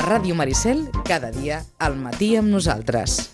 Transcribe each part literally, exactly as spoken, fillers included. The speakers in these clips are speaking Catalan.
A Ràdio Maricel, cada dia, al matí amb nosaltres.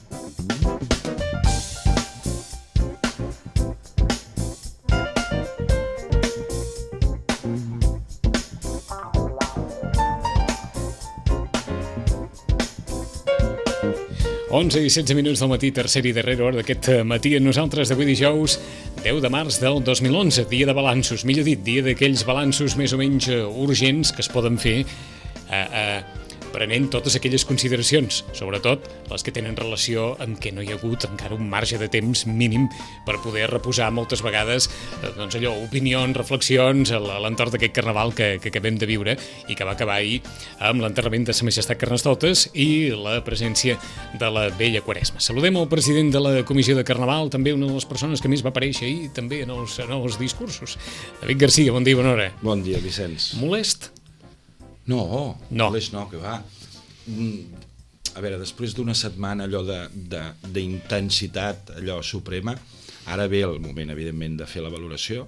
onze i setze minuts del matí, tercera i darrera hora d'aquest matí amb nosaltres d'avui dijous deu de març del dos mil onze, dia de balanços, millor dit, dia d'aquells balanços més o menys urgents que es poden fer eh, eh, prenent totes aquelles consideracions, sobretot les que tenen relació amb que no hi ha hagut encara un marge de temps mínim per poder reposar moltes vegades eh, doncs allò, opinions, reflexions a l'entorn d'aquest carnaval que, que acabem de viure i que va acabar ahir amb l'enterrament de Sa Majestat Carnestoltes i la presència de la vella Quaresma. Saludem el president de la Comissió de Carnaval, també una de les persones que més va aparèixer ahir també en els, en els discursos. David Garcia, bon dia i bona hora. Bon dia, Vicenç. Molest? No, no, molest no, que va. A veure, després d'una setmana allò d'intensitat, allò suprema, ara ve el moment, evidentment, de fer la valoració.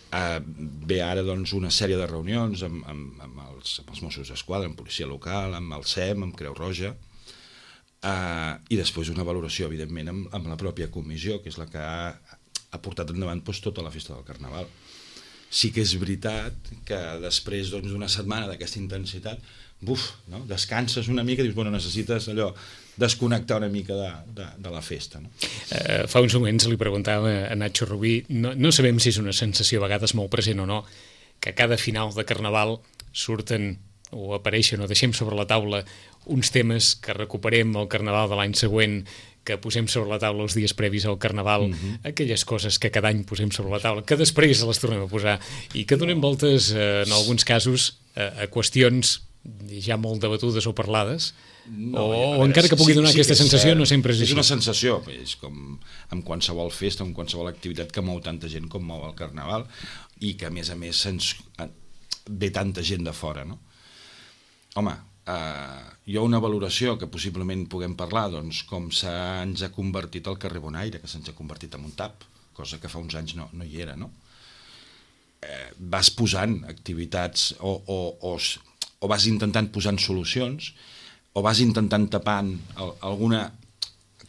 Uh, ve ara, doncs, una sèrie de reunions amb, amb, amb, els, amb els Mossos d'Esquadra, amb policia local, amb el S E M, amb Creu Roja, uh, i després una valoració, evidentment, amb, amb la pròpia comissió, que és la que ha, ha portat endavant doncs, tota la festa del Carnaval. Sí que és veritat que després doncs, d'una setmana d'aquesta intensitat, buf, no? Descanses una mica i dius, bueno, necessites allò, desconnectar una mica de, de, de la festa. No? Uh, fa uns moments li preguntava a Nacho Rubí, no, no sabem si és una sensació a vegades molt present o no, que a cada final de Carnaval surten o apareixen o deixem sobre la taula uns temes que recuperem al Carnaval de l'any següent, que posem sobre la taula els dies previs al Carnaval, uh-huh. aquelles coses que cada any posem sobre la taula, que després les tornem a posar i que donem voltes, eh, en alguns casos, a, a qüestions ja molt debatudes o parlades, no, o, veure, o encara que pugui donar sí, sí aquesta és, sensació, no sempre és, és així. És una sensació, és com amb qualsevol festa, amb qualsevol activitat que mou tanta gent com mou el Carnaval i que, a més a més, se'ns ve tanta gent de fora, no? Home, Uh, hi ha una valoració que possiblement puguem parlar, doncs, com se'ns ha convertit el carrer Bonaire, que se'ns ha convertit en un tap, cosa que fa uns anys no, no hi era, no? Eh, vas posant activitats o, o, o, o vas intentant posant solucions o vas intentant tapant el, alguna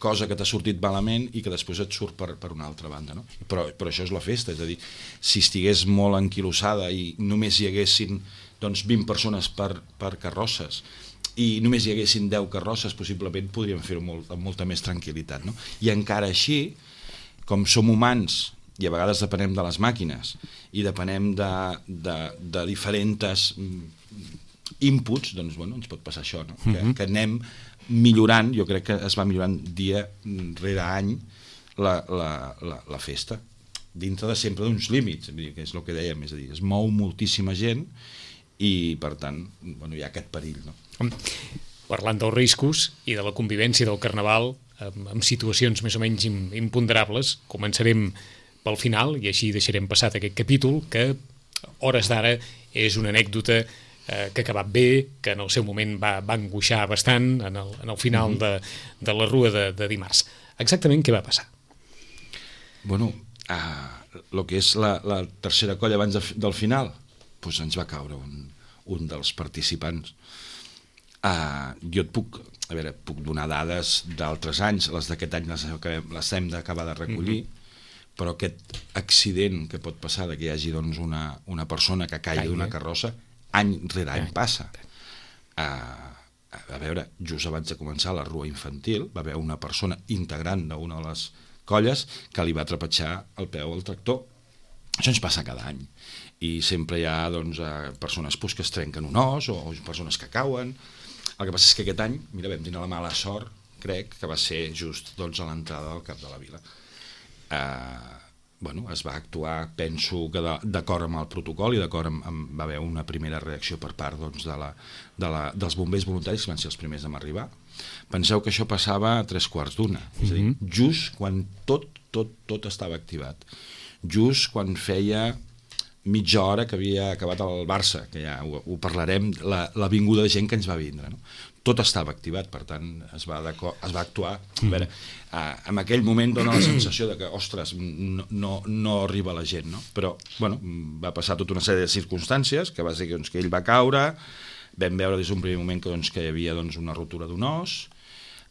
cosa que t'ha sortit malament i que després et surt per, per una altra banda, no? Però, però això és la festa, és a dir, si estigués molt enquilossada i només hi haguessin doncs vint persones per, per carrosses i només hi haguessin deu carrosses, possiblement podríem fer-ho molt, amb molta més tranquil·litat, no? I encara així, com som humans i a vegades depenem de les màquines i depenem de, de, de diferents inputs, doncs bueno, ens pot passar això, no? Que, que anem millorant, jo crec que es va millorant dia rere any la, la, la, la festa, dintre de sempre d'uns límits, que és el que dèiem, és a dir, es mou moltíssima gent i, per tant, bueno, hi ha aquest perill, no? Parlant dels riscos i de la convivència del Carnaval amb, amb situacions més o menys imponderables, començarem pel final i així deixarem passat aquest capítol que, hores d'ara, és una anècdota eh, que ha acabat bé, que en el seu moment va, va angoixar bastant en el, en el final mm-hmm. de, de la rua de, de dimarts. Exactament què va passar? Bueno, uh, el que és la, la tercera colla abans de, del final, doncs ens va caure un, un dels participants. Uh, jo et puc, a veure, puc donar dades d'altres anys, les d'aquest any les, les hem d'acabar de recollir, mm-hmm. però aquest accident que pot passar de que hi hagi doncs, una, una persona que caigui d'una carrossa, any rere any passa. Uh, a veure, just abans de començar la rua infantil, va haver una persona integrant d'una de les colles que li va trepitjar el peu al tractor. Això ens passa cada any. I sempre hi ha doncs, persones pues, que es trenquen un os o, o persones que cauen. El que passa és que aquest any, mira, vam tenir la mala sort, crec, que va ser just doncs, a l'entrada del Cap de la Vila. Eh, bueno, es va actuar, penso que d'acord amb el protocol i d'acord amb, amb... va haver una primera reacció per part doncs, de la, de la, dels bombers voluntaris, que van ser els primers a arribar. Penseu que això passava a tres quarts d'una, és a dir, just quan tot, tot, tot estava activat. Just quan feia mitja hora que havia acabat el Barça, que ja ho, ho parlarem, la, la vinguda de gent que ens va vindre, no? Tot estava activat, per tant es va, es va actuar. A veure, eh, en aquell moment dona la sensació de que, ostres, no, no, no arriba la gent, no? Però, bueno, va passar tota una sèrie de circumstàncies, que va ser doncs, que ell va caure, vam veure des d'un primer moment que, doncs, que hi havia doncs, una rotura d'un os,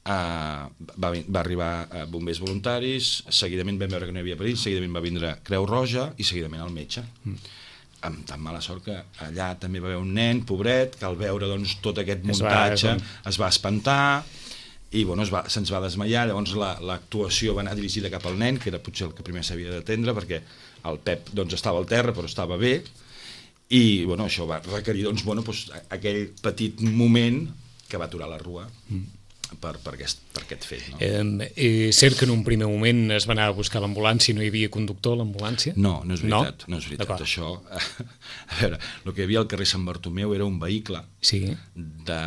uh, va, va arribar uh, bombers voluntaris, seguidament vam veure que no hi havia perill, seguidament va vindre Creu Roja i seguidament el metge. Mm. Amb tan mala sort que allà també va haver un nen, pobret, que al veure doncs, tot aquest muntatge es va, es va espantar i bueno, es va, se'ns va desmaiar. Llavors l'actuació va anar dirigida cap al nen, que era potser el que primer s'havia d'atendre, perquè el Pep doncs, estava al terra però estava bé i bueno, això va requerir doncs, bueno, doncs, aquell petit moment que va aturar la rua. Mm. Per, per, aquest, per aquest fet. No? Eh, és cert que en un primer moment es va anar a buscar l'ambulància i no hi havia conductor a l'ambulància? No, no és veritat. No? No és veritat. Això, a veure, el que hi havia al carrer Sant Bartomeu era un vehicle sí. de,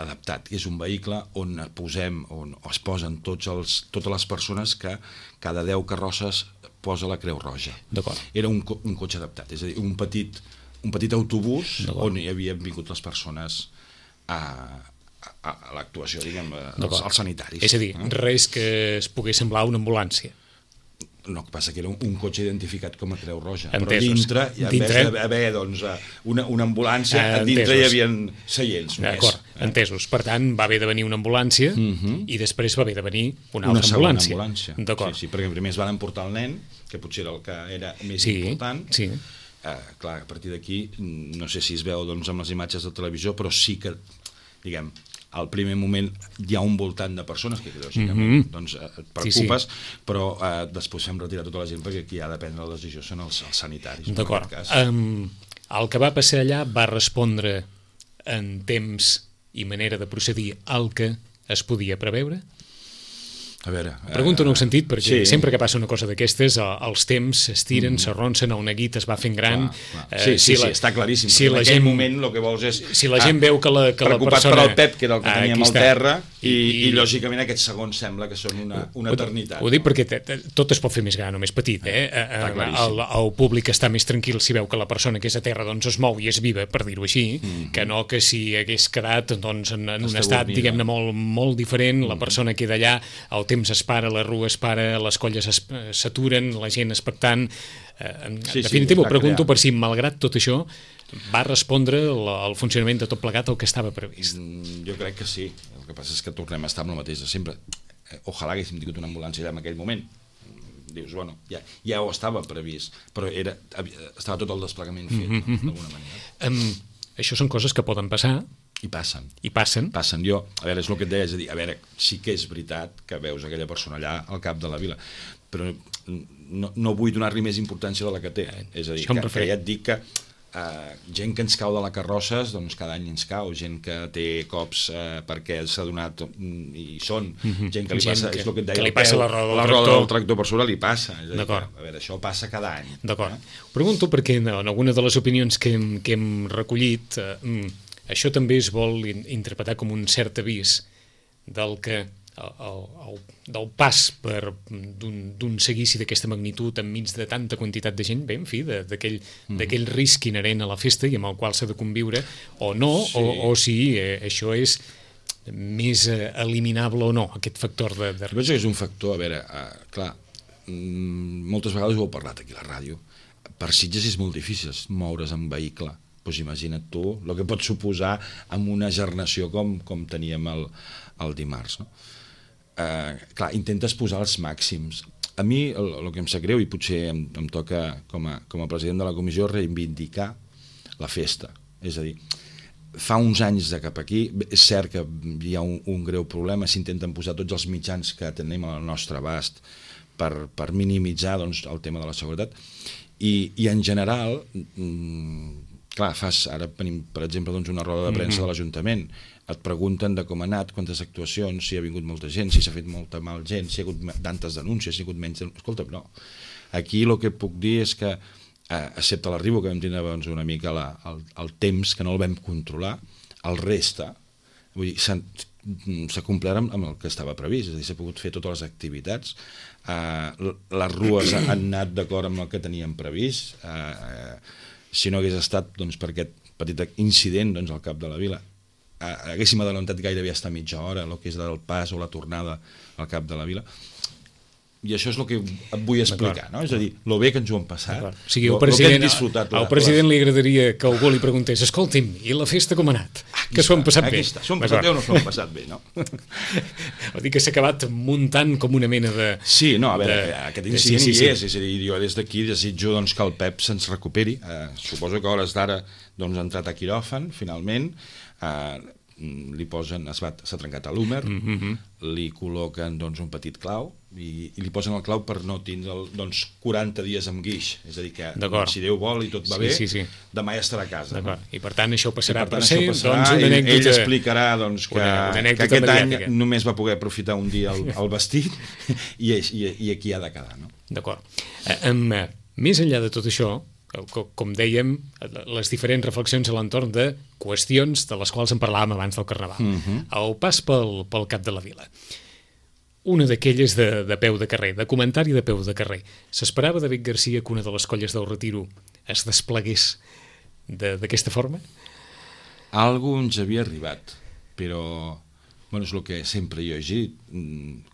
adaptat, que és un vehicle on posem, on es posen tots els, totes les persones que cada deu carrosses posa la Creu Roja. Era un, un cotxe adaptat, és a dir, un petit, un petit autobús on hi havien vingut les persones a a l'actuació, diguem, als, als sanitaris. És a dir, eh? res que es pogués semblar una ambulància. No, que passa que era un, un cotxe identificat com a Creu Roja. Entesos. Però dintre, i en dintre... vez d'haver doncs, una, una ambulància, a dintre hi havia seients. D'acord, eh? entesos. Per tant, va haver de venir una ambulància uh -huh. i després va haver de venir una, una altra ambulància. ambulància. Sí, sí, perquè primer es van emportar el nen, que potser era el que era més sí, important. Sí. Uh, clar, a partir d'aquí, no sé si es veu doncs, amb les imatges de televisió, però sí que, diguem, al primer moment hi ha un voltant de persones que lògicament mm -hmm. doncs, et preocupes, sí, sí. però eh, després fem retirar tota la gent perquè qui ha de prendre la decisió són els, els sanitaris. D'acord. Um, el que va passar allà va respondre en temps i manera de procedir al que es podia preveure? A veure... Pregunto en un sentit, perquè sí. sempre que passa una cosa d'aquestes, els temps s'estiren, mm. s'arronsen, el neguit es va fent gran... Clar, clar. Sí, sí, si la, sí, està claríssim. Si en la aquell gent, moment el que vols és... Si la gent ah, veu que la, que la persona... per al Pep, que era el que ah, teníem al terra, i, i, i lògicament aquests segons sembla que són una, una ho, eternitat. Ho dic perquè te, te, tot es pot fer més gran o més petit, eh? El, el públic està més tranquil si veu que la persona que és a terra doncs, es mou i és viva, per dir-ho així, mm. que no que si hagués quedat doncs, en, en un estat, diguem-ne, molt, molt diferent, mm. la persona queda allà, el temps es para, la rua es para, les colles s'aturen, la gent expectant. En sí, definitiva, sí, pregunto crear. per si, malgrat tot això, va respondre el funcionament de tot plegat el que estava previst. Mm, jo crec que sí. El que passa és que tornem a estar amb el mateix de sempre. Ojalà haguéssim tingut una ambulància allà en aquell moment. Dius, bueno, ja, ja ho estava previst, però era, estava tot el desplegament fet, mm -hmm. no? d'alguna manera. Um, això són coses que poden passar. I passen. I passen. Passen. Jo, a veure, és el que et deia, és a dir, a veure, sí que és veritat que veus aquella persona allà al cap de la vila, però no, no vull donar-li més importància de la que té. És a dir, que, que ja et dic que uh, gent que ens cau de la carrosses, doncs cada any ens cau, gent que té cops uh, perquè s'ha donat i són, mm-hmm. gent que li gent passa, que, és el que et deia, que li passa la roda del la tractor. roda del tractor per sobre li passa. És a dir, D'acord. A veure, això passa cada any. D'acord. Eh? Pregunto perquè en alguna de les opinions que hem, que hem recollit uh, això també es vol interpretar com un cert avís del que el, el, del pas d'un seguici d'aquesta magnitud enmig de tanta quantitat de gent, bé, en fi, d'aquell mm. risc inherent a la festa i amb el qual s'ha de conviure, o no, sí. o, o si eh, això és més eh, eliminable o no, aquest factor de... de... Jo penso que és un factor, a veure, uh, clar, mm, moltes vegades ho heu parlat aquí a la ràdio, per Sitges és molt difícil moure's en vehicle. Doncs imagina't tu el que pot suposar amb una gernació com, com teníem el, el dimarts. No? Eh, clar, intentes posar els màxims. A mi el, el que em sap greu, i potser em, em toca com a, com a president de la comissió reivindicar la festa. És a dir, fa uns anys de cap aquí, és cert que hi ha un, un greu problema, s'intenten posar tots els mitjans que tenim al nostre abast per, per minimitzar doncs, el tema de la seguretat, i, i en general... Mm, clar, fas, ara tenim, per exemple, doncs una roda de premsa mm-hmm. de l'Ajuntament, et pregunten de com ha anat, quantes actuacions, si ha vingut molta gent, si s'ha fet molta mal gent, si hi ha hagut tantes denúncies, si hi ha hagut menys denúncies... Escolta, no. Aquí el que puc dir és que, eh, excepte l'arribo, que vam tindre doncs, una mica la, el, el temps, que no el vam controlar, el resta, vull dir, s'ha complert amb, amb el que estava previst, és a dir, s'ha pogut fer totes les activitats, eh, les rues han anat d'acord amb el que teníem previst, eh, si no hagués estat doncs, per aquest petit incident doncs, al cap de la vila, eh, haguéssim adelantat gairebé hasta mitja hora el que és del pas o la tornada al cap de la vila. I això és el que et vull explicar, no? És a dir, lo bé que ens ho hem passat, o sigui, el lo, president, lo que hem disfrutat. Al president li agradaria que algú li preguntés escolti'm, i la festa com ha anat? Aquí que s'ho han passat aquí bé? Està. S'ho han passat bé o no s'ho han passat bé, no? Vol dir que s'ha acabat muntant com una mena de... Sí, no, a veure, de, aquest incident sí, sí, hi sí. és, és a dir, jo des d'aquí desitjo doncs, que el Pep se'ns recuperi. Eh, suposo que a hores d'ara doncs, ha entrat a quiròfan, finalment, eh, li posen, es va, s'ha trencat a l'húmer, mm -hmm. li col·loquen doncs, un petit clau i, i li posen el clau per no tindre doncs, quaranta dies amb guix, és a dir que doncs, si Déu vol i tot va sí, bé, sí, sí. demà ja estarà a casa. No? I per tant això passarà per, tant, per ser passarà, doncs, una anècdota... Ell, ell explicarà doncs, que, una, una que aquest mediàtica. any només va poder aprofitar un dia el, el vestit i, i, i aquí ha de quedar. No? D'acord. Eh, um, més enllà de tot això, com dèiem, les diferents reflexions a l'entorn de qüestions de les quals en parlàvem abans del Carnaval. Uh -huh. El pas pel, pel cap de la vila. Una d'aquelles de, de peu de carrer, de comentari de peu de carrer. S'esperava de Vic Garcia que una de les colles del Retiro es desplegués d'aquesta forma? Algú ens havia arribat, però... Bueno, és el que sempre jo he dit,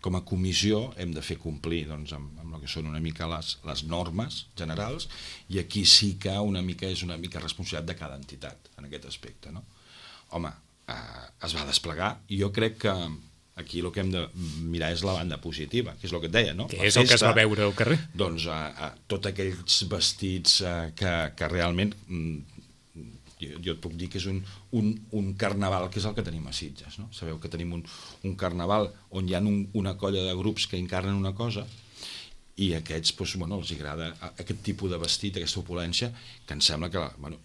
com a comissió hem de fer complir doncs, amb, amb el que són una mica les, les normes generals, i aquí sí que una mica és una mica responsabilitat de cada entitat en aquest aspecte. No? Home, eh, es va desplegar i jo crec que aquí el que hem de mirar és la banda positiva, que és el que et deia, no? Que la és festa, el que es va veure al carrer. Doncs eh, eh, tots aquells vestits eh, que, que realment... Mm, Jo, jo et puc dir que és un, un, un carnaval que és el que tenim a Sitges, no? Sabeu que tenim un, un carnaval on hi ha un, una colla de grups que encarnen una cosa i a aquests doncs, bueno, els agrada aquest tipus de vestit, aquesta opulència, que em sembla que bueno,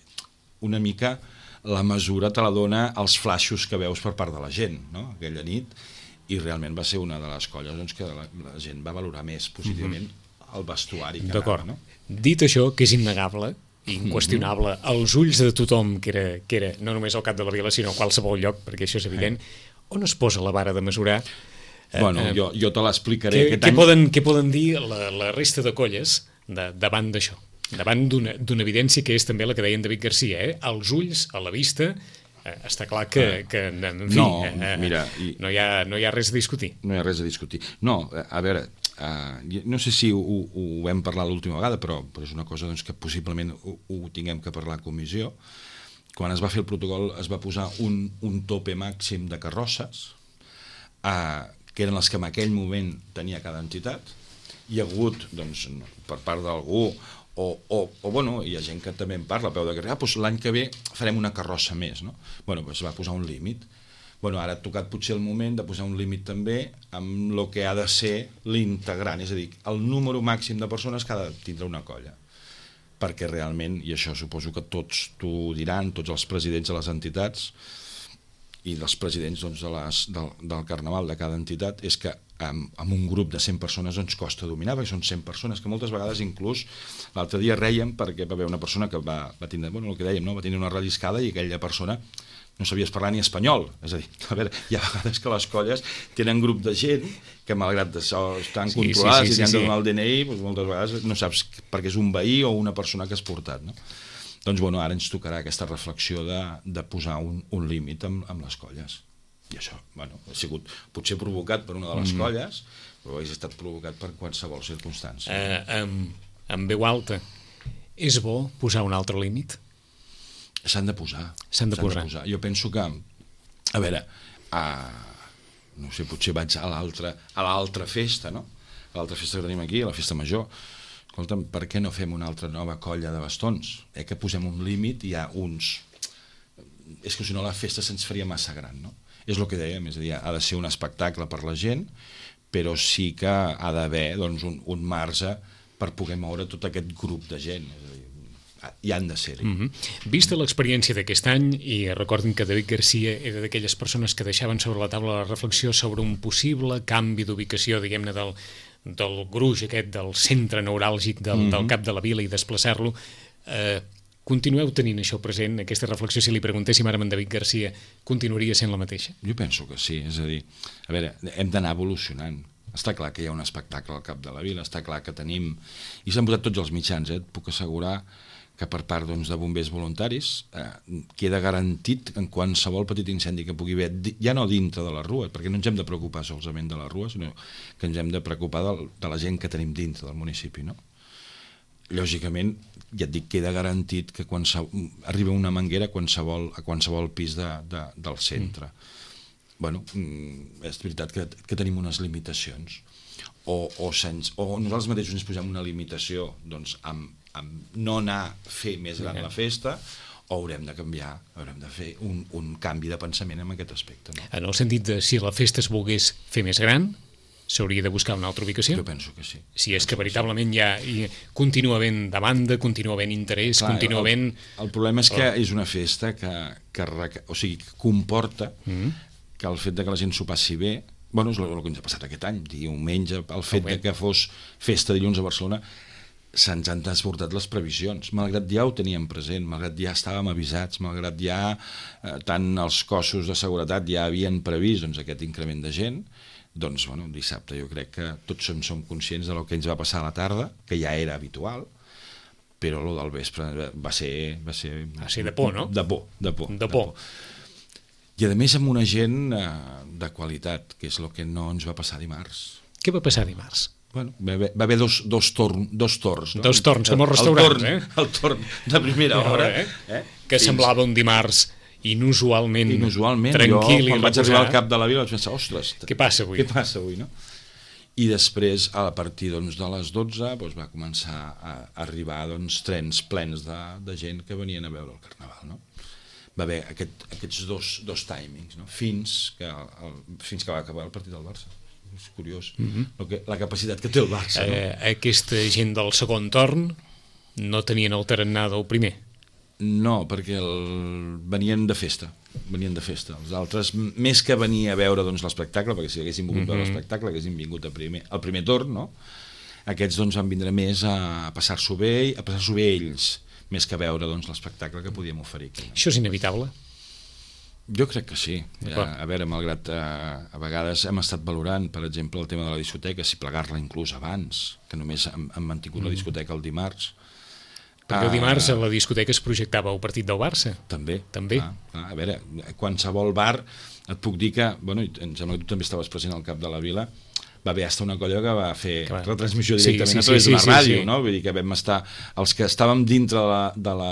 una mica la mesura te la dona els flaixos que veus per part de la gent, no? Aquella nit, i realment va ser una de les colles doncs, que la, la gent va valorar més positivament mm-hmm. el vestuari que anava, no? Dit això, que és innegable, inqüestionable, als ulls de tothom que era, que era no només al cap de la vila sinó a qualsevol lloc, perquè això és evident, on es posa la vara de mesurar? Bueno, eh, jo, jo te l'explicaré què, aquest què any. Poden, què poden dir la, la resta de colles de, davant d'això? Davant d'una evidència que és també la que deien de Vic Garcia, eh? Als ulls, a la vista, eh, està clar que, que en fi, no, eh, mira, i, no, hi ha, no hi ha res a discutir. No hi ha res a discutir. No, a veure, Uh, no sé si ho, ho vam parlar l'última vegada, però, però és una cosa doncs, que possiblement ho, ho tinguem que parlar a comissió. Quan es va fer el protocol es va posar un, un tope màxim de carrosses, uh, que eren les que en aquell moment tenia cada entitat. Hi ha hagut, doncs, per part d'algú, o, o, o bueno, hi ha gent que també en parla a peu de carrer, ah, doncs l'any que ve farem una carrossa més, no? Bueno, doncs es va posar un límit. Bueno, ara ha tocat potser el moment de posar un límit també amb el que ha de ser l'integrant, és a dir, el número màxim de persones que ha de tindre una colla. Perquè realment, i això suposo que tots t'ho diran, tots els presidents de les entitats i dels presidents doncs, de les, del, del carnaval de cada entitat, és que amb, amb un grup de cent persones ens costa dominar, perquè són cent persones que moltes vegades inclús l'altre dia reiem perquè va haver una persona que va, va tindre, bueno, el que dèiem, no? va tindre una relliscada i aquella persona no sabies parlar ni espanyol, és a dir, a veure, hi ha vegades que les colles tenen grup de gent que malgrat això estan sí, controlades sí, sí, sí, i t'han de donar el D N I, doncs moltes vegades no saps perquè és un veí o una persona que has portat, no? Doncs bueno, ara ens tocarà aquesta reflexió de, de posar un, un límit amb, amb les colles. I això, bueno, ha sigut potser provocat per una de les mm. colles, però ha estat provocat per qualsevol circumstància. Uh, amb, amb veu alta, és bo posar un altre límit? S'han de posar. S'han de, posar. de posar. Jo penso que, a veure, a, no sé, potser vaig a l'altra a l'altra festa, no? A l'altra festa que tenim aquí, a la festa major. Escolta'm, per què no fem una altra nova colla de bastons? Eh, que posem un límit i hi ha uns... És que si no la festa se'ns faria massa gran, no? És el que dèiem, és a dir, ha de ser un espectacle per la gent, però sí que ha d'haver doncs, un, un marge per poder moure tot aquest grup de gent, és a dir, hi han de ser-hi. Mm -hmm. Vista l'experiència d'aquest any, i recordin que David Garcia era d'aquelles persones que deixaven sobre la taula la reflexió sobre un possible canvi d'ubicació, diguem-ne, del, del gruix aquest, del centre neuràlgic del, mm -hmm. del cap de la vila i desplaçar-lo, eh, continueu tenint això present, aquesta reflexió, si li preguntéssim ara a en David Garcia, continuaria sent la mateixa? Jo penso que sí, és a dir, a veure, hem d'anar evolucionant. Està clar que hi ha un espectacle al cap de la vila, està clar que tenim, i s'han posat tots els mitjans, eh? Et puc assegurar que per part doncs, de bombers voluntaris eh, queda garantit en qualsevol petit incendi que pugui haver, ja no dintre de la rua, perquè no ens hem de preocupar solament de la rua, sinó que ens hem de preocupar de, de la gent que tenim dintre del municipi, no? Lògicament, ja et dic, queda garantit que quan arriba una manguera a qualsevol, a qualsevol pis de, de, del centre. Mm. Bueno, és veritat que, que tenim unes limitacions, o, o, sens, o nosaltres mateixos ens posem una limitació doncs, amb amb no anar a fer més gran la festa, o haurem de canviar, haurem de fer un, un canvi de pensament en aquest aspecte. No? En el sentit de si la festa es volgués fer més gran, s'hauria de buscar una altra ubicació? Jo penso que sí. Si és que veritablement hi ha, hi continua havent demanda, continua havent interès, Clar, continua havent... El, el problema és que és una festa que, que, o sigui, que comporta mm-hmm. que el fet de que la gent s'ho passi bé, bueno, és el, el que ens ha passat aquest any, diumenge, el fet de que fos festa dilluns a Barcelona, se'ns han desbordat les previsions, malgrat ja ho teníem present, malgrat ja estàvem avisats, malgrat ja eh, tant els cossos de seguretat ja havien previst doncs, aquest increment de gent, doncs bueno, dissabte jo crec que tots som, som conscients de lo que ens va passar a la tarda, que ja era habitual, però lo del vespre va ser... Va ser, va ser de por, no? De por, de por. De por. I a més amb una gent eh, de qualitat, que és el que no ens va passar dimarts. Què va passar dimarts? Bueno, va haver, va haver dos, dos, torn, dos torns. No? Dos torns, com els restaurants, el torn, eh? El torn de primera hora. Eh? Eh? Que Fins... semblava un dimarts inusualment, inusualment tranquil jo, i quan vaig arribar al cap de la vila vaig pensar, ostres, què passa avui? Què passa avui, no? I després, a partir doncs, de les dotze, doncs, va començar a arribar doncs, trens plens de, de gent que venien a veure el Carnaval, no? Va haver aquest, aquests dos, dos timings, no? Fins que, el, fins que va acabar el partit del Barça. És curiós, mm-hmm. el que, la capacitat que té el Barça. No? Eh, aquesta gent del segon torn no tenien el tarannà del primer? No, perquè el... venien de festa, venien de festa. Els altres, més que venir a veure doncs, l'espectacle, perquè si haguessin volgut mm-hmm. veure l'espectacle, haguessin vingut a primer, al primer torn, no? Aquests doncs, van vindre més a passar-s'ho bé, a passar-s'ho bé ells, més que veure doncs, l'espectacle que podíem oferir aquí. No? Això és inevitable? Jo crec que sí. A, a veure, malgrat eh, a vegades hem estat valorant, per exemple, el tema de la discoteca, si plegar-la inclús abans, que només hem, hem mantingut mm. la discoteca el dimarts. Perquè el dimarts a la discoteca es projectava el partit del Barça. També. També. Ah, ah, a veure, qualsevol bar, et puc dir que, bueno, em sembla que tu també estaves present al cap de la vila, va haver hasta una colla que va fer Clar. retransmissió directament sí, sí, a través sí, d'una sí, ràdio, sí, sí. no? Vull dir que vam estar, els que estàvem dintre de la, de la,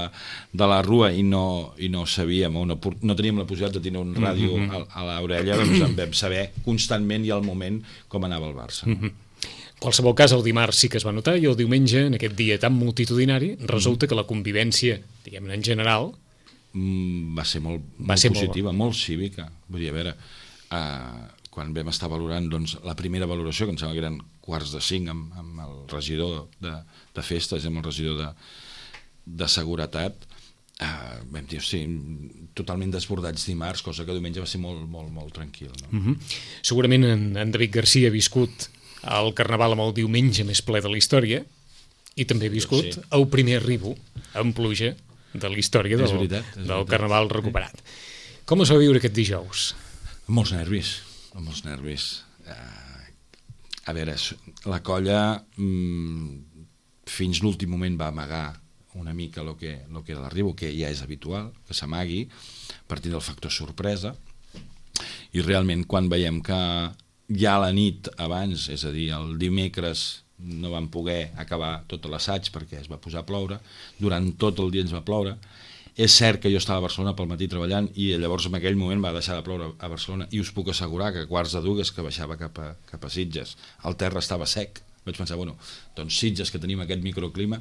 de la rua i no, i no sabíem, o no, no teníem la possibilitat de tenir un ràdio mm-hmm. a, a l'orella, doncs en vam saber constantment i al moment com anava el Barça. No? Mm-hmm. En qualsevol cas, el dimarts sí que es va notar, i el diumenge, en aquest dia tan multitudinari, resulta mm-hmm. que la convivència, diguem-ne en general... Mm, va ser molt, va molt ser positiva, molt... molt cívica. Vull dir, a veure... Uh, quan vam estar valorant doncs, la primera valoració, que em sembla que eren quarts de cinc amb, amb el regidor de, de festes, amb el regidor de, de seguretat, eh, vam dir, sí, totalment desbordats dimarts, cosa que diumenge va ser molt, molt, molt tranquil. No? Mm-hmm. Segurament en, en David Garcia ha viscut el Carnaval amb el diumenge més ple de la història, i també ha viscut sí. el primer arribo en pluja de la història del, veritat, del Carnaval recuperat. Com es va viure aquest dijous? Amb molts nervis. amb els nervis. Uh, a veure, la colla mm, fins l'últim moment va amagar una mica el que, lo que era l'arribo, que ja és habitual, que s'amagui, a partir del factor sorpresa, i realment quan veiem que ja la nit abans, és a dir, el dimecres no vam poder acabar tot l'assaig perquè es va posar a ploure, durant tot el dia ens va ploure. És cert que jo estava a Barcelona pel matí treballant i llavors en aquell moment va deixar de ploure a Barcelona, i us puc assegurar que a quarts de dues que baixava cap a, cap a Sitges el terra estava sec. Vaig pensar, bueno, doncs Sitges, que tenim aquest microclima,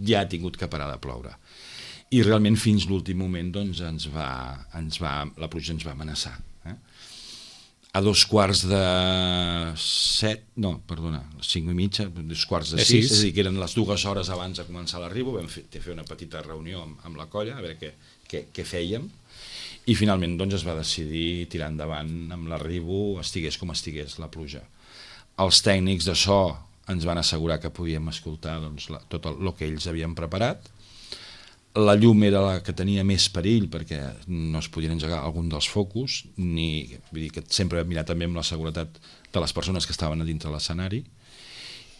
ja ha tingut que parar de ploure. I realment fins l'últim moment doncs, ens va, ens va, la pluja ens va amenaçar. Eh? A dos quarts de set, no, perdona, cinc i mitja, dos quarts de sis, és a dir, que eren les dues hores abans de començar l'arribo, vam fer, fer una petita reunió amb, amb la colla, a veure què, què, què fèiem, i finalment doncs, es va decidir tirar endavant amb l'arribo, estigués com estigués la pluja. Els tècnics de so ens van assegurar que podíem escoltar doncs, la, tot el, el que ells havien preparat. La llum era la que tenia més perill perquè no es podien engegar algun dels focus, ni, vull dir que sempre vam mirar també amb la seguretat de les persones que estaven a dintre l'escenari,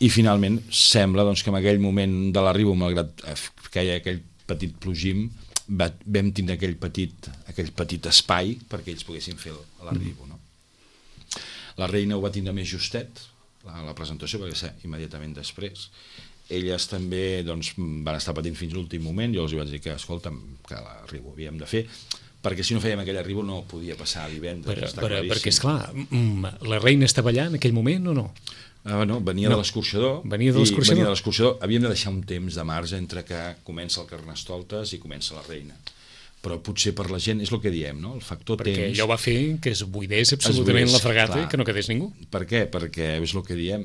i finalment sembla doncs, que en aquell moment de l'arribo, malgrat que hi ha aquell petit plogim va, vam tindre aquell petit, aquell petit espai perquè ells poguessin fer l'arribo, no? La reina ho va tindre més justet, la, la presentació, perquè ser immediatament després. Elles també doncs, van estar patint fins l'últim moment, jo els vaig dir que, escolta'm, que l'arribo havíem de fer, perquè si no fèiem aquell arribo no podia passar divendres. Per, per, perquè, esclar, la reina estava allà en aquell moment o no? Uh, no, venia no. de l'escorxador. Venia de l'escorxador. Venia de l'escorxador. Havíem de deixar un temps de marge entre que comença el Carnestoltes i comença la reina. Però potser per la gent és el que diem, no? El factor perquè temps... Perquè allò va fer que es buidés absolutament es buidés, la fregata clar. I que no quedés ningú. Per què? Perquè és el que diem,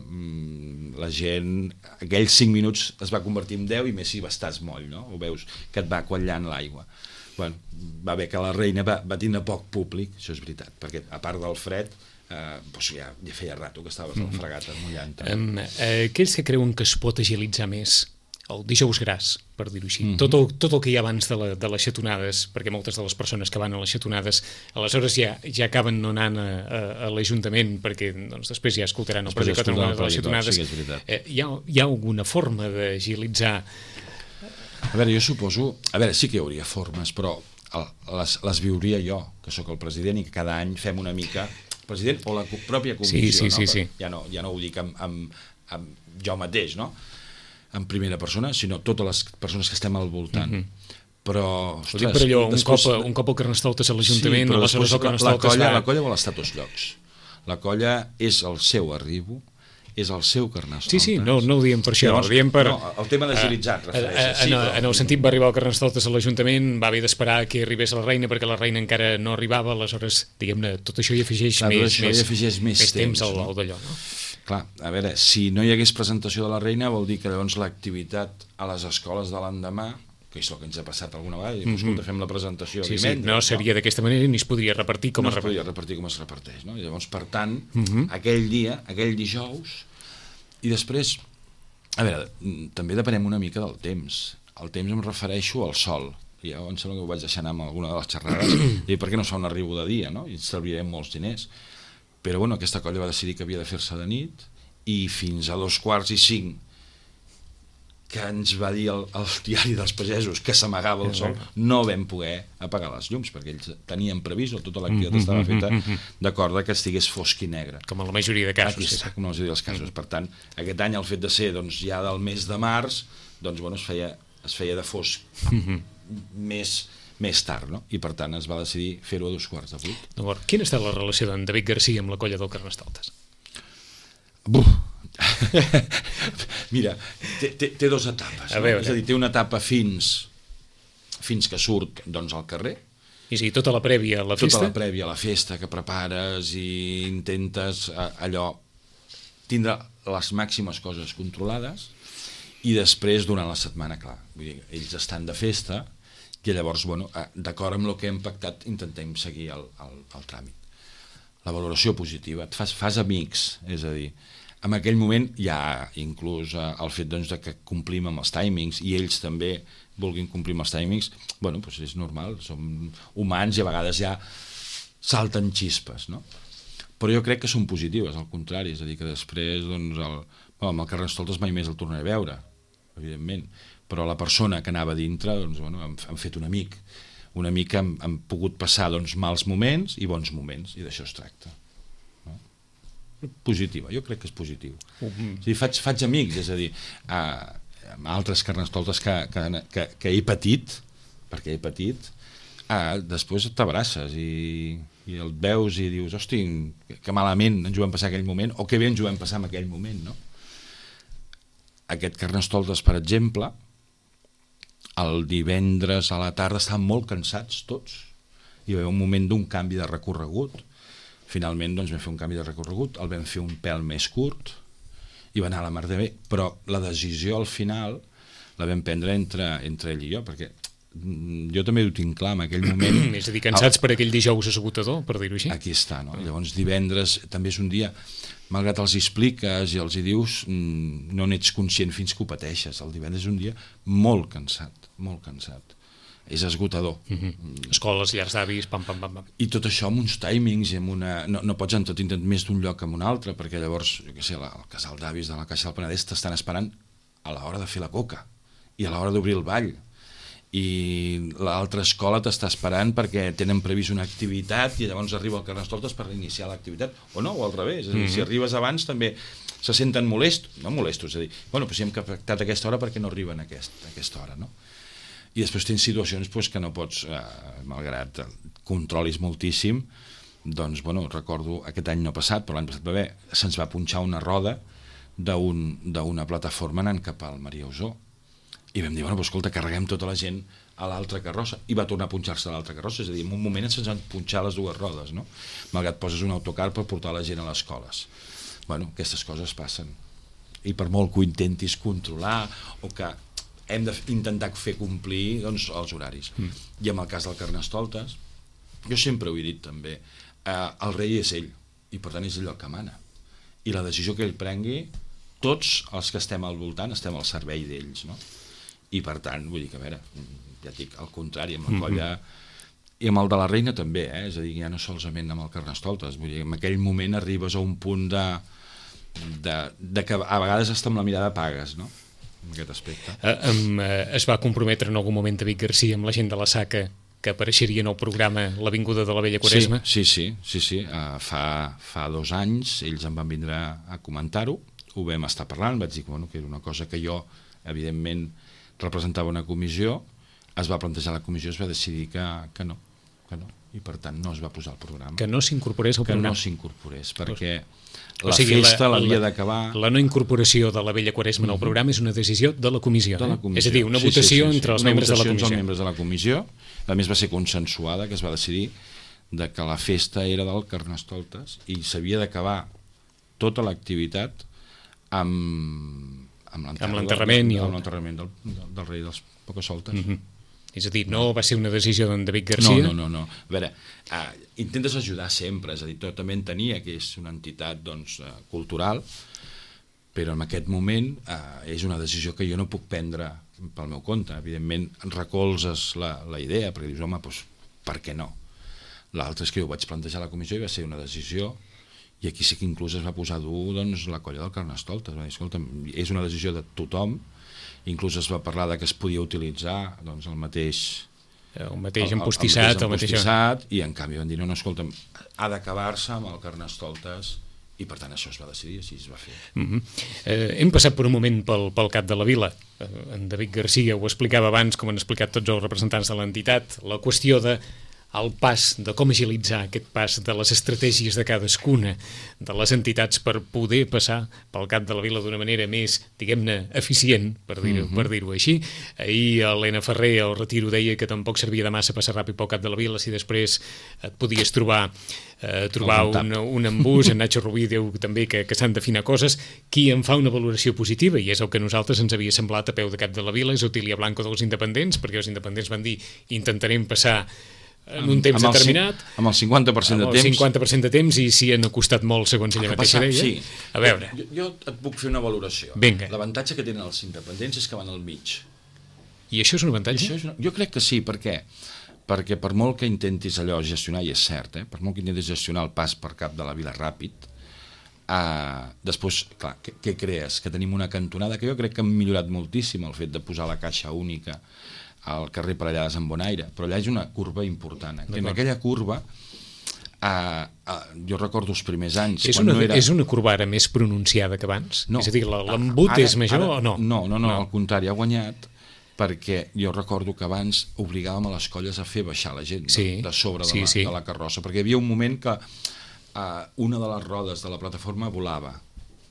la gent, aquells cinc minuts es va convertir en deu i més si estàs moll, no? Ho veus, que et va quallant l'aigua. Bueno, va bé que la reina va, va tindre poc públic, això és veritat, perquè a part del fred, eh, doncs ja, ja feia rato que estaves a la fregata mullant. Um, eh, aquells que creuen que es pot agilitzar més el dijous gras, per dir-ho així, mm-hmm. tot, el, tot el que hi ha abans de, la, de les xatonades, perquè moltes de les persones que van a les xatonades aleshores ja, ja acaben no anant a, a, a l'Ajuntament perquè doncs, després ja escoltaran el projecte de les xatonades. Sí, eh, hi, ha, hi ha alguna forma d'agilitzar? A veure, jo suposo... A veure, sí que hi hauria formes, però el, les, les viuria jo, que sóc el president i que cada any fem una mica... El president o la pròpia comissió, sí, sí, no? Sí, sí. Ja, no, ja no ho dic amb, amb, amb jo mateix, no? En primera persona, sinó totes les persones que estem al voltant. Mm-hmm. Però, ostres... Per allò, un, després... cop, un cop el Carnestoltes a l'Ajuntament, sí, aleshores el Carnestoltes la colla, va... La colla vol estar a tots llocs. La colla és el seu arribo, és el seu Carnestoltes. Sí, sí, no, no ho diem per això, llavors, ho diem per... No, el tema d'agilitzat, refereixes. Sí, en, però... en el sentit va arribar el Carnestoltes a l'Ajuntament, va haver d'esperar que arribés la reina perquè la reina encara no arribava, aleshores, diguem-ne, tot això hi afegeix Clar, més, això més, hi afegeix més, més temps, temps al, no? al d'allò, no? Clar, a veure, si no hi hagués presentació de la reina vol dir que llavors l'activitat a les escoles de l'endemà, que és el que ens ha passat alguna vegada, i, mm-hmm. escolta, fem la presentació sí, divendres. Sí, no seria no? d'aquesta manera ni es podria repartir com no es reparteix. No es podria repartir com es reparteix, no? I llavors, per tant, mm-hmm. aquell dia, aquell dijous, i després, a veure, també depenem una mica del temps. El temps em refereixo al sol. Ja em sembla que ho vaig deixar anar amb alguna de les xerrades, i per què no es fa un arribo de dia, no? I ens estalviarem molts diners. Però bueno, aquesta colla va decidir que havia de fer-se de nit i fins a dos quarts i cinc que ens va dir el, el diari dels pagesos que s'amagava el sol, no vam poder apagar les llums perquè ells tenien previst, tota l'activitat estava feta d'acord que estigués fosc i negre. Com en la majoria de casos. Aquí està, com en la majoria dels casos. Per tant, aquest any el fet de ser doncs, ja del mes de març, doncs bueno, es feia, es feia de fosc més més tard, no? I per tant es va decidir fer-ho a dos quarts de vuit. D'acord. Quina ha estat la relació d'en David Garcia amb la colla del Carnestoltes? Buf! Mira, té, té, té dues etapes, no? És a dir, té una etapa fins fins que surt doncs, al carrer. I sí, tota la prèvia a la festa? Tota la prèvia a la festa que prepares i intentes allò tindre les màximes coses controlades i després durant la setmana, clar, vull dir, ells estan de festa i llavors, bueno, d'acord amb el que hem pactat, intentem seguir el, el, el tràmit. La valoració positiva, et fas, fas amics, és a dir, en aquell moment hi ha inclús el fet doncs, de que complim amb els timings i ells també vulguin complir amb els timings, bueno, doncs és normal, som humans i a vegades ja salten xispes, no? Però jo crec que són positives, al contrari, és a dir, que després, doncs, el, bueno, amb el Carnestoltes mai més el tornaré a veure, evidentment, però la persona que anava dintre, doncs, bueno, hem, hem fet un amic, un amic que hem, hem pogut passar doncs, mals moments i bons moments, i d'això es tracta. No? Positiva, jo crec que és positiu. Uh-huh. És a dir, faig, faig amics, és a dir, eh, amb altres Carnestoltes que, que, que, que he patit, perquè he patit, eh, després t'abraces i, i el veus i dius, hosti, que malament ens ho vam passar aquell moment, o que bé ens ho vam passar en aquell moment, no? Aquest Carnestoltes, per exemple, el divendres a la tarda estaven molt cansats tots. Hi va haver un moment d'un canvi de recorregut. Finalment doncs, vam fer un canvi de recorregut, el vam fer un pèl més curt i va anar a la mar de bé. Però la decisió al final la vam prendre entre, entre ell i jo, perquè jo també ho tinc clar en aquell moment. És a dir, cansats el... per aquell dijous esgotador, per dir-ho així. Aquí està, no? Llavors divendres també és un dia, malgrat els hi expliques i els hi dius, no n'ets conscient fins que ho pateixes. El divendres és un dia molt cansat, molt cansat. És esgotador. Mm-hmm. Escoles, llars d'avis, pam, pam, pam, pam. I tot això amb uns timings i amb una... No, no pots en tot intent més d'un lloc que en un altre, perquè llavors, jo què sé, la, el casal d'avis de la Caixa del Penedès t'estan esperant a l'hora de fer la coca i a l'hora d'obrir el ball. i l'altra escola t'està esperant perquè tenen previst una activitat i llavors arriba el Carnestoltes per iniciar l'activitat, o no, o al revés, és a dir, mm-hmm. si arribes abans també se senten molestos, no molestos, és a dir, bueno, però si hem pactat a aquesta hora perquè no arriben a, aquest, a aquesta hora, no? I després tens situacions pues, que no pots, eh, malgrat controlis moltíssim, doncs, bueno, recordo aquest any no passat, però l'any passat va haver, se'ns va punxar una roda d'una plataforma anant cap al Maria Usó. I vam dir, bueno, pues, escolta, carreguem tota la gent a l'altra carrossa, i va tornar a punxar-se a l'altra carrossa, és a dir, en un moment se'ns van punxar les dues rodes, no? Malgrat poses un autocar per portar la gent a les escoles. Bueno, aquestes coses passen. I per molt que ho intentis controlar, o que hem d'intentar fer complir, doncs, els horaris. Mm. I en el cas del Carnestoltes, jo sempre ho he dit també, eh, el rei és ell, i per tant és ell el que mana. I la decisió que ell prengui, tots els que estem al voltant estem al servei d'ells, no? I per tant, vull dir que a veure, ja dic, al contrari, amb la colla mm-hmm. i amb el de la reina també, eh? És a dir, ja no solament amb el Carnestoltes, vull dir, en aquell moment arribes a un punt de, de, de que a vegades hasta amb la mirada pagues, no? En aquest aspecte. Eh, um, eh, es va comprometre en algun moment David Garcia amb la gent de la Saca que apareixeria en el programa L'Avinguda de la Vella Quaresma? Sí, sí, sí, sí, sí. Uh, fa, fa dos anys ells em van vindre a comentar-ho, ho vam estar parlant, vaig dir bueno, que era una cosa que jo, evidentment, representava una comissió, es va plantejar la comissió, es va decidir que, que no, que no, i per tant no es va posar al programa. Que no s'incorporés al programa? Que no s'incorporés, perquè la o sigui, festa l'havia d'acabar... La no incorporació de la Vella Quaresma en el programa és una decisió de la comissió, de la comissió. Eh? És a dir, una sí, votació sí, sí, sí. entre els una membres de la comissió. comissió. Els membres de la comissió, a més va ser consensuada, que es va decidir de que la festa era del Carnestoltes i s'havia d'acabar tota l'activitat amb... amb l'enterrament del, el... del, del, del rei dels Pocasoltes. Mm-hmm. És a dir, no va ser una decisió d'en David Garcia? No, no, no, no. A veure, uh, intentes ajudar sempre, és a dir, tot també entenia que és una entitat doncs, uh, cultural, però en aquest moment uh, és una decisió que jo no puc prendre pel meu compte. Evidentment, recolzes la, la idea, perquè dius, home, doncs, per què no? L'altre és que jo ho vaig plantejar a la comissió i va ser una decisió. I aquí sí que inclús es va posar dur doncs, la colla del Carnestoltes. Va dir, escolta, és una decisió de tothom, inclús es va parlar de que es podia utilitzar doncs, el mateix... El mateix empostissat. El, el, el mateix empostissat, i en canvi van dir, no, no, escolta, ha d'acabar-se amb el Carnestoltes, i per tant això es va decidir, així es va fer. Mm-hmm. eh, hem passat per un moment pel, pel cap de la vila. Eh, en David Garcia ho explicava abans, com han explicat tots els representants de l'entitat, la qüestió de el pas, de com agilitzar aquest pas de les estratègies de cadascuna de les entitats per poder passar pel cap de la vila d'una manera més, diguem-ne, eficient, per dir-ho uh-huh. per dir-ho així. Ahir l'Helena Ferrer al retiro deia que tampoc servia de massa passar ràpid pel cap de la vila si després et podies trobar eh, trobar un, un embús. En Nacho Rubí diu també que, que s'han d'afinar coses. Qui en fa una valoració positiva, i és el que a nosaltres ens havia semblat a peu de cap de la vila, és Otília Blanco dels independents, perquè els independents van dir intentarem passar en un temps amb determinat, el, amb el cinquanta per cent de temps, amb el cinquanta per cent de temps, i s'hi han acostat molt, segons ella mateixa deia. Sí. A veure. Jo, jo et puc fer una valoració. Vinga. L'avantatge que tenen els independents és que van al mig. I això és un avantatge? Això és una... Jo crec que sí, per què? Perquè per molt que intentis allò gestionar, i és cert, eh? per molt que intentis gestionar el pas per cap de la vila ràpid, eh, després, clar, què, què crees? Que tenim una cantonada, que jo crec que han millorat moltíssim el fet de posar la caixa única al carrer Parellades en Bonaire, però allà és una curva important. En aquella curva, uh, uh, jo recordo els primers anys... És una, no era... és una curva ara més pronunciada que abans? No, és a dir, l'embut és major ara, o no? No, no, no, no, al contrari, ha guanyat, perquè jo recordo que abans obligàvem a les colles a fer baixar la gent sí, de, de sobre de, sí, la, sí. de la carrossa, perquè hi havia un moment que uh, una de les rodes de la plataforma volava,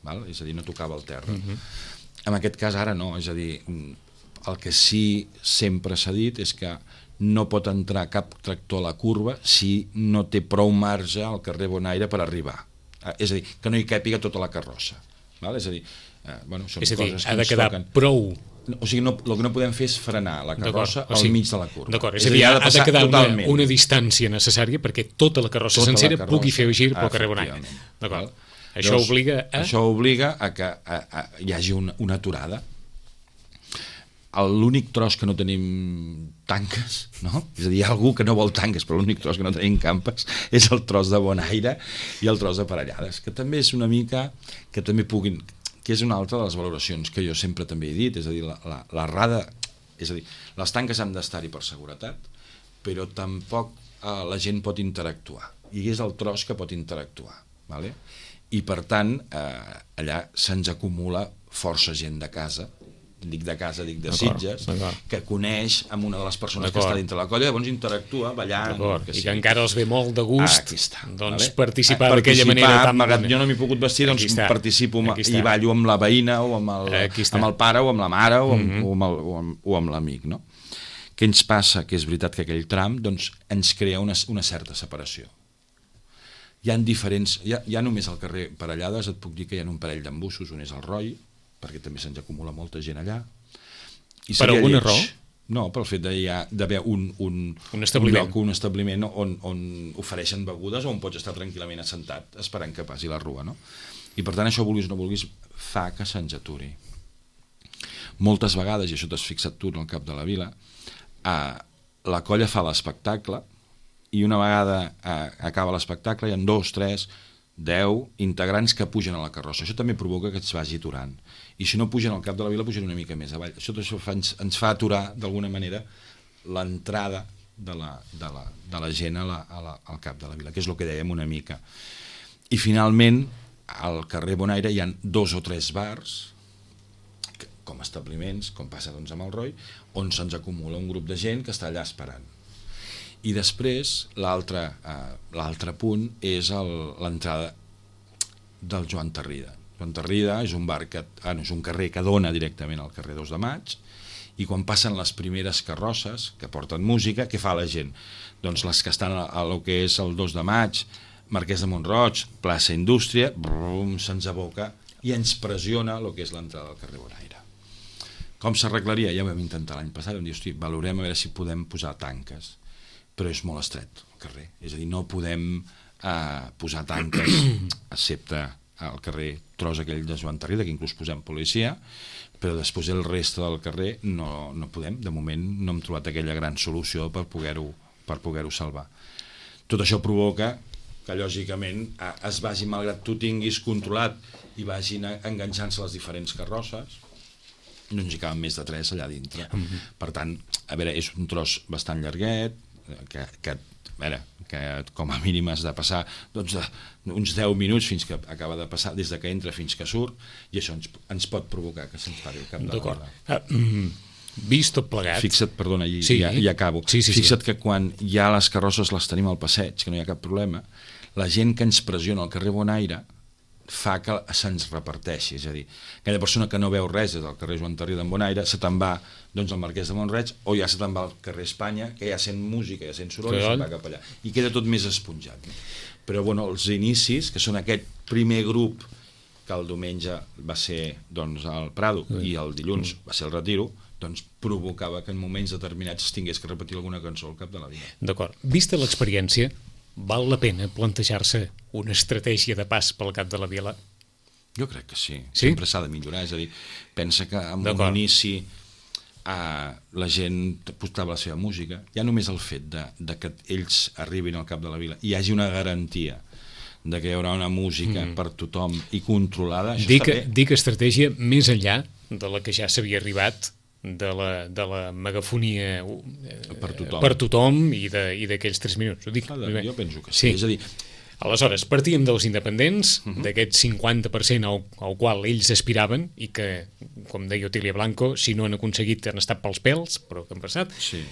val? És a dir, no tocava el terra. Uh-huh. En aquest cas ara no, és a dir... El que sí sempre s'ha dit és que no pot entrar cap tractor a la curva si no té prou marge al carrer Bonaire per arribar. És a dir, que no hi càpiga tota la carrossa. Val? És a dir, eh, bueno, són és a dir, coses que ha de quedar toquen. Prou... O sigui, no, el que no podem fer és frenar la carrossa o sigui, al mig de la curva. D'acord, és, és a dir, ha de, ha de quedar una, una distància necessària perquè tota la carrossa tota sencera la carrossa, pugui fer gir pel carrer Bonaire. D'acord. Això Llavors, obliga a... Això obliga a que a, a, hi hagi una, una aturada. L'únic tros que no tenim tanques, no? És a dir, hi ha algú que no vol tanques, però l'únic tros que no tenim campes és el tros de Bonaire i el tros de Parellades, que també és una mica que també puguin, que és una altra de les valoracions que jo sempre també he dit, és a dir, la, la, la rada És a dir, les tanques han d'estar-hi per seguretat, però tampoc eh, la gent pot interactuar. I és el tros que pot interactuar. Vale? I per tant, eh, allà se'ns acumula força gent de casa, dic de casa, dic de Sitges, que coneix amb una de les persones que està dintre la colla, llavors interactua ballant. Que I que encara els ve molt de gust ah, doncs, vale? participar d'aquella manera tan bona. Jo no m'he pogut vestir, doncs participo i ballo amb la veïna o amb el, amb el pare o amb la mare o amb, mm-hmm. o amb, el, o amb, o amb l'amic. No? Què ens passa? Que és veritat que aquell tram doncs, ens crea una, una certa separació. Hi ha diferents... Hi ha, hi ha només al carrer Parellades, et puc dir que hi ha un parell d'embussos, un és el Roi, perquè també se'ns acumula molta gent allà. I per alguna raó? No, pel fet d'haver un, un, un, establiment. un lloc, un establiment on, on ofereixen begudes o on pots estar tranquil·lament assentat esperant que passi la rua. No? I per tant això, vulguis o no vulguis, fa que se'ns aturi. Moltes vegades, i això t'has fixat tu en el cap de la vila, eh, la colla fa l'espectacle i una vegada eh, acaba l'espectacle hi ha dos, tres, deu integrants que pugen a la carrossa. Això també provoca que es vagi aturant. I si no pugen al cap de la vila, pugen una mica més avall. Això, això fa, ens, ens fa aturar, d'alguna manera, l'entrada de la, de, la, de la gent a la, a la, al cap de la vila, que és el que dèiem una mica. I finalment, al carrer Bonaire hi ha dos o tres bars, que, com establiments, com passa doncs, amb el Roi, on se'ns acumula un grup de gent que està allà esperant. I després, l'altre eh, punt és l'entrada del Joan Tarrida. Joan Tarrida és un bar que, ah, no, és un carrer que dona directament al carrer dos de maig, i quan passen les primeres carrosses que porten música, què fa la gent? Doncs les que estan a, a lo que és el dos de maig, Marquès de Montroig, plaça Indústria, brum, se'ns aboca i ens pressiona el que és l'entrada del carrer Bonaire. Com s'arreglaria? Ja ho vam intentar l'any passat, vam dir, hosti, valorem a veure si podem posar tanques, però és molt estret el carrer, és a dir, no podem eh, posar tanques excepte al carrer tros aquell de Joan Tarrida, que inclús posem policia, però després el reste del carrer no, no podem, de moment no hem trobat aquella gran solució per poder-ho per poder-ho salvar. Tot això provoca que lògicament eh, es vagi, malgrat tu tinguis controlat i vagin enganxant-se les diferents carrosses, no ens hi caben més de tres allà dintre. Mm-hmm. Per tant, a veure, és un tros bastant llarguet, que, que, a veure, que com a mínim has de passar doncs, uns deu minuts fins que acaba de passar, des de que entra fins que surt, i això ens, ens pot provocar que se'ns pari el cap de la vila. Ah, mm, vist tot plegat... Fixa't, perdona, i, sí. ja, i acabo. Sí, sí, Fixa't sí. que quan hi ha les carrosses les tenim al passeig, que no hi ha cap problema, la gent que ens pressiona al carrer Bonaire fa que se'ns reparteixi, és a dir, aquella persona que no veu res des del carrer Joan Tarrida en Bonaire se te'n va doncs, al Marquès de Montroig, o ja se te'n va al carrer Espanya, que ja sent música, ja sent soroll, i se'n va cap allà, i queda tot més esponjat. Però bueno, els inicis, que són aquest primer grup que el diumenge va ser doncs, al Prado mm. i el dilluns mm. va ser el Retiro, doncs provocava que en moments determinats es tingués que repetir alguna cançó al cap de la vila. D'acord. Vista l'experiència, val la pena plantejar-se una estratègia de pas pel cap de la vila? Jo crec que sí. Sí? Sempre s'ha de millorar. És a dir, pensa que en un inici eh, la gent postava la seva música. Ja només el fet de, de que ells arribin al cap de la vila i hi hagi una garantia de que hi haurà una música mm. per tothom i controlada, això dic, està bé. Dic estratègia més enllà de la que ja s'havia arribat de la, de la megafonia per tothom, per tothom i d'aquells tres minuts. Ho dic, ah, jo penso que sí. sí. És a dir, aleshores, partíem dels independents, uh -huh. d'aquest cinquanta per cent al, al qual ells aspiraven i que, com deia Otília Blanco, si no han aconseguit han estat pels pèls, però que han passat. Sí.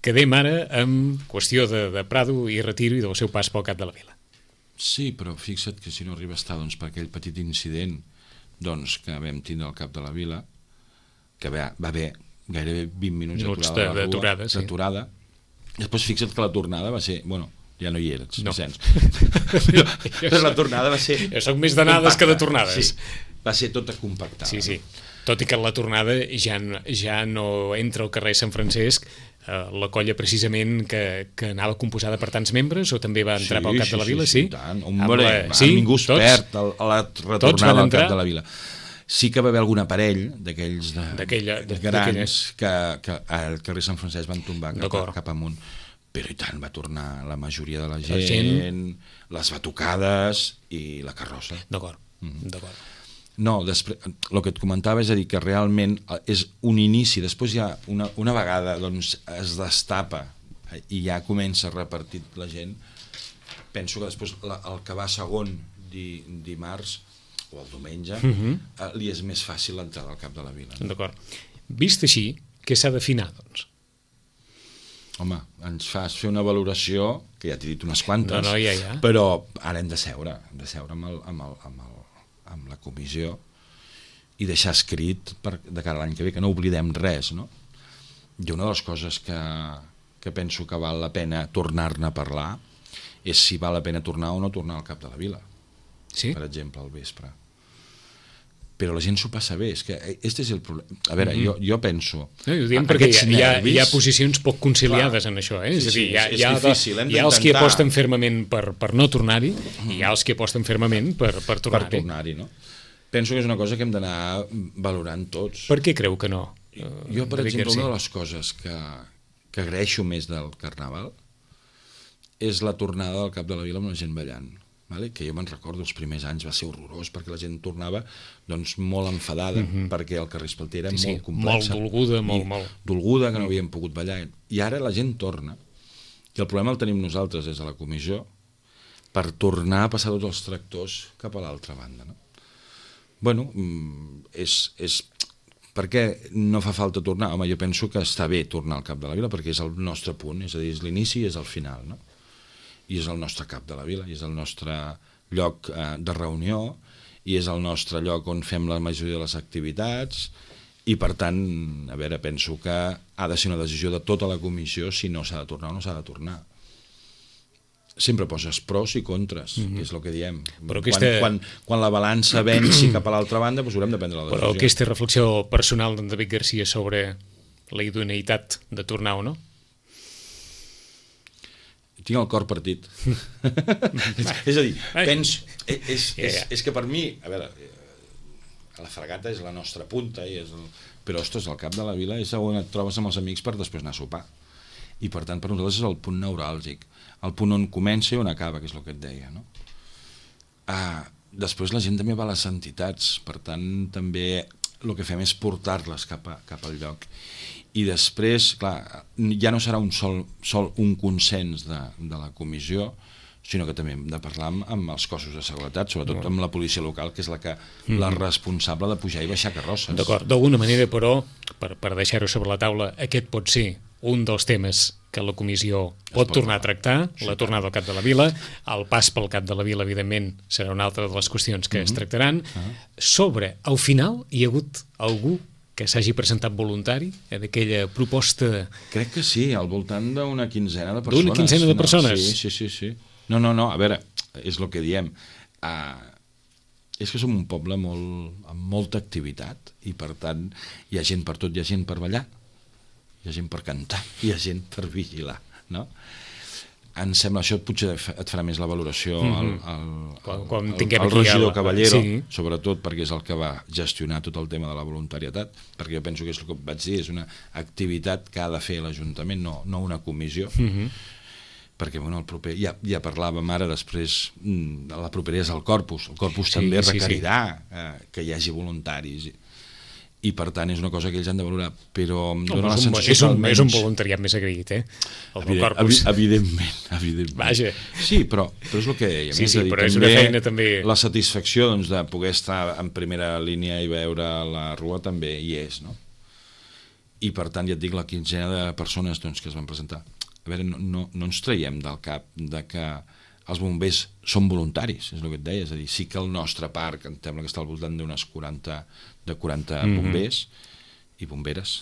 Quedem ara amb qüestió de, de Prado i Retiro i del seu pas pel cap de la vila. Sí, però fixa't que si no arriba a estar doncs, per aquell petit incident doncs, que vam tindre al cap de la vila, que va, va haver gairebé vint minuts, minuts d'aturada, sí. Després fixa't que la tornada va ser, bueno, ja no hi eres, no. Vicenç, però, però la tornada va ser... Jo soc més d'anades que de tornades. Sí, va ser tota compactada. Sí, sí. Tot i que la tornada ja, ja no entra al carrer Sant Francesc, eh, la colla precisament que, que anava composada per tants membres, o també va entrar sí, pel cap sí, de la vila? Sí, sí, sí, tant. Hombre, la... va, sí, ningú es tots, perd a la retornada al cap de la vila. Sí que va haver algun aparell d'aquells de, grans que, que al carrer Sant Francesc van tombar cap, cap amunt, però i tant va tornar la majoria de la gent, la gent... les batucades i la carrossa. D'acord, mm. d'acord. No, després, el que et comentava és a dir que realment és un inici, després ja una, una vegada doncs, es destapa i ja comença a repartir la gent, penso que després la, el que va segon di, dimarts o el diumenge uh-huh. eh, li és més fàcil l'entrada al cap de la vila. No? D'acord. Vist així, què s'ha d'afinar, doncs? Home, ens fas fer una valoració, que ja t'he dit unes quantes, no, no, ja, ja. però ara hem de seure, hem de seure amb, el, amb, el, amb, el, amb la comissió i deixar escrit per, de cara a l'any que ve, que no oblidem res, no? I una de les coses que, que penso que val la pena tornar-ne a parlar és si val la pena tornar o no tornar al cap de la vila, sí? Per exemple, al vespre. Però la gent s'ho passa bé, és que este és el problema. A veure, mm-hmm. jo, jo penso... No, ho diem perquè hi ha, hi, ha, hi ha posicions poc conciliades clar, en això, eh? És, sí, a dir, hi ha, és, hi ha, difícil, hi ha els que aposten fermament per, per no tornar-hi mm. i hi ha els que aposten fermament per, per tornar-hi. Per tornar-hi, no? Penso que és una cosa que hem d'anar valorant tots. Per què creu que no? Jo, per exemple, una de les coses que, que agraeixo més del Carnaval és la tornada al cap de la vila amb la gent ballant. Vale? Que jo me'n recordo, els primers anys va ser horrorós perquè la gent tornava doncs, molt enfadada mm-hmm. perquè el Carrer Espalter era sí, molt sí, complexa. Molt dolguda, molt, molt. Dolguda, que no havíem pogut ballar. I ara la gent torna. I el problema el tenim nosaltres des de la comissió per tornar a passar tots els tractors cap a l'altra banda. No? Bueno, és, és... Per què no fa falta tornar? Home, jo penso que està bé tornar al cap de la vila perquè és el nostre punt, és a dir, és l'inici i és el final, no? I és el nostre cap de la vila, i és el nostre lloc eh, de reunió, i és el nostre lloc on fem la majoria de les activitats, i per tant, a veure, penso que ha de ser una decisió de tota la comissió si no s'ha de tornar o no s'ha de tornar. Sempre poses pros i contres, mm-hmm. que és el que diem. Però aquesta... quan, quan, quan la balança venci cap a l'altra banda, doncs haurem de prendre la decisió. Però aquesta reflexió personal d'en David Garcia sobre la idoneïtat de tornar o no? Tinc el cor partit. És a dir, penso... És, és, és, és que per mi, a veure, la Fragata és la nostra punta, i és el, però, ostres, el cap de la vila és on et trobes amb els amics per després anar a sopar. I, per tant, per nosaltres és el punt neuràlgic, el punt on comença i on acaba, que és el que et deia, no? Ah, després la gent també va a les entitats, per tant, també el que fem és portar-les cap, a, cap al lloc. I després, clar, ja no serà un sol, sol un consens de, de la comissió, sinó que també hem de parlar amb, amb els cossos de seguretat, sobretot amb la policia local, que és la, que, mm. la responsable de pujar i baixar carrosses. D'acord, d'alguna manera, però, per, per deixar-ho sobre la taula, aquest pot ser un dels temes que la comissió pot, pot tornar a tractar, sí, la tornada al cap de la vila, el pas pel cap de la vila, evidentment, serà una altra de les qüestions que mm-hmm. es tractaran. Uh-huh. Sobre, al final, hi ha hagut algú que s'hagi presentat voluntari eh, d'aquella proposta... Crec que sí, al voltant d'una quinzena de persones. D'una quinzena de persones? No, sí, sí, sí, sí. No, no, no, a veure, és el que diem. Uh, és que som un poble molt, amb molta activitat i, per tant, hi ha gent per tot, hi ha gent per ballar, hi ha gent per cantar, hi ha gent per vigilar, no? Em sembla, això potser et farà més la valoració mm-hmm. el, el, quan, quan el, el, el regidor el... Caballero, sí. Sobretot perquè és el que va gestionar tot el tema de la voluntarietat, perquè jo penso que és el que vaig dir, és una activitat que ha de fer l'Ajuntament, no, no una comissió, mm-hmm. perquè bueno, el proper, ja, ja parlàvem ara després, la propera és el Corpus, el Corpus sí, també requerirà sí, sí. Eh, que hi hagi voluntaris, i per tant és una cosa que ells han de valorar, però em dóna la sensació és un, que almenys... És un voluntariat més agraït, eh? El Evident, Corpus. Evidentment, evidentment. Vaja. Sí, però, però és el que dèiem. Sí, sí, és dir, però és una feina també... La satisfacció doncs, de poder estar en primera línia i veure la rua també hi és, no? I per tant, ja et dic, la quinzena de persones doncs, que es van presentar. A veure, no, no, no ens traiem del cap de que els bombers són voluntaris, és el que et deia, és a dir, sí que el nostre parc, em sembla que està al voltant d'unes quaranta, de quaranta mm-hmm. bombers i bomberes,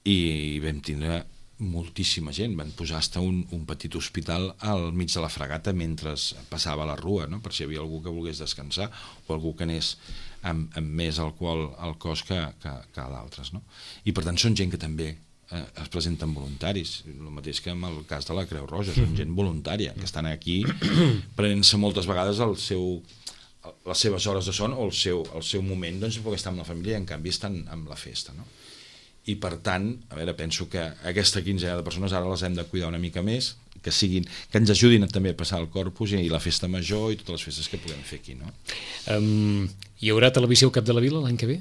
i vam tindre moltíssima gent, van posar hasta un, un petit hospital al mig de la Fragata mentre passava la rua, no? Per si hi havia algú que volgués descansar o algú que anés amb, amb més alcohol al cos que, que, que d'altres, no? I per tant són gent que també eh, es presenten voluntaris, el mateix que en el cas de la Creu Roja, són gent voluntària que estan aquí prenent-se moltes vegades el seu, les seves hores de son o el seu, el seu moment doncs, perquè estar amb la família i en canvi estan amb la festa, no? I per tant, a veure, penso que aquesta quinzena de persones ara les hem de cuidar una mica més, que siguin, que ens ajudin també a passar el Corpus i la festa major i totes les festes que puguem fer aquí, no? Um, Hi haurà televisió al Cap de la Vila l'any que ve?